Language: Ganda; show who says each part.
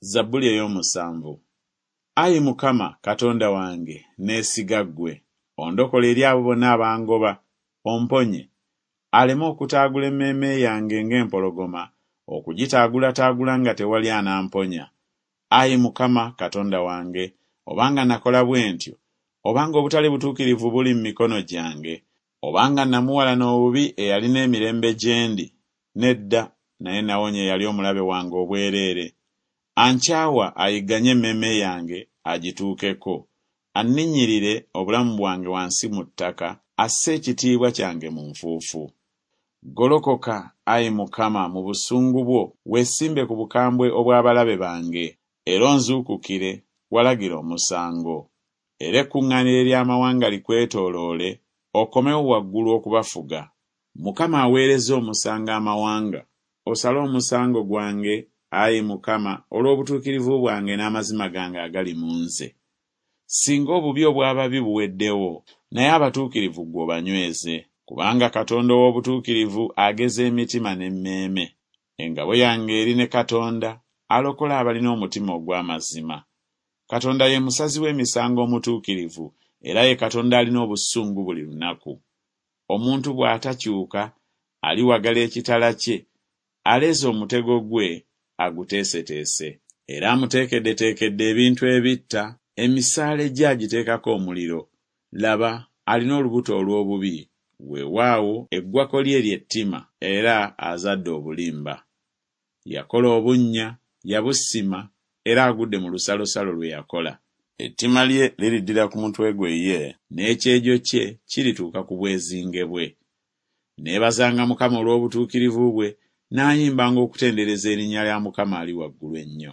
Speaker 1: Zabbuli ey'omusanvu. Ayi Mukama, Katonda wange, neesiga ggwe. Ondokole eri abo bonna abangoba, omponye, aleme okutaagula emmeeme yange ng'empologoma, okugitaagulataagula nga tewali anamponya. Ayi Mukama, Katonda wange, obanga nakola bwe ntyo, obanga obutali butuukirivu buli mu mikono gyange, obanga namuwalana obubi eyalina emirembe gye ndi, nedda, naye nawonya eyali omulabe wange obwereere. Ankyawa ayigganye emmeeme yange, agituukeko, anninnyirire obulamu bwange wansi mu ttaka, asse ekitiibwa kyange mu nfuufu. Golokoka, ayi Mukama, mu busungu bwo, weesimbe ku bukambwe obw'abalabe bange, era onzuukukire, walagira omusango. Era ekkuŋŋaaniro ery'amawanga likwetooloole, okomewo waggulu okubafuga. Mukama aweereza omusango amawanga. Osale omusango gwange, ayi Mukama, olw'obutuukirivu bwange n'amazima gange agali mu nze. Singa obubi obw'ababi buweddewo, naye abatuukirivu ggwe obanyweze. Kubanga Katonda ow'obutuukirivu ageza emitima n'emmeeme. Engabo yange eri ne Katonda, alokola abalina omutima ogw'amazima. Katonda ye musazi w'emisango omutuukirivu, era ye Katonda alina obusungu buli lunaku. Omuntu bw'atakyuka, aliwagala ekitala kye, aleeze omutego gwe, aguteeseteese. Era amuteekeddeteekedde ebintu ebitta, emisaale gye agiteekako omuliro. Laba, alina olubuto olw'obubi, weewaawo, eggwako lye ly'ettima, era azadde obulimba. Yakola obunnya, yabusima, era agudde mu lusalosalo lwe yakola. Ettima lye liriddira ku mutwe gwe ye, n'ekyejo kye kirituuka ku bwezinge bwe. Neebazanga Mukama olw'obutuukirivu bwe, naayimbanga okutendereza erinnya lya Mukama Ali Waggulu Ennyo.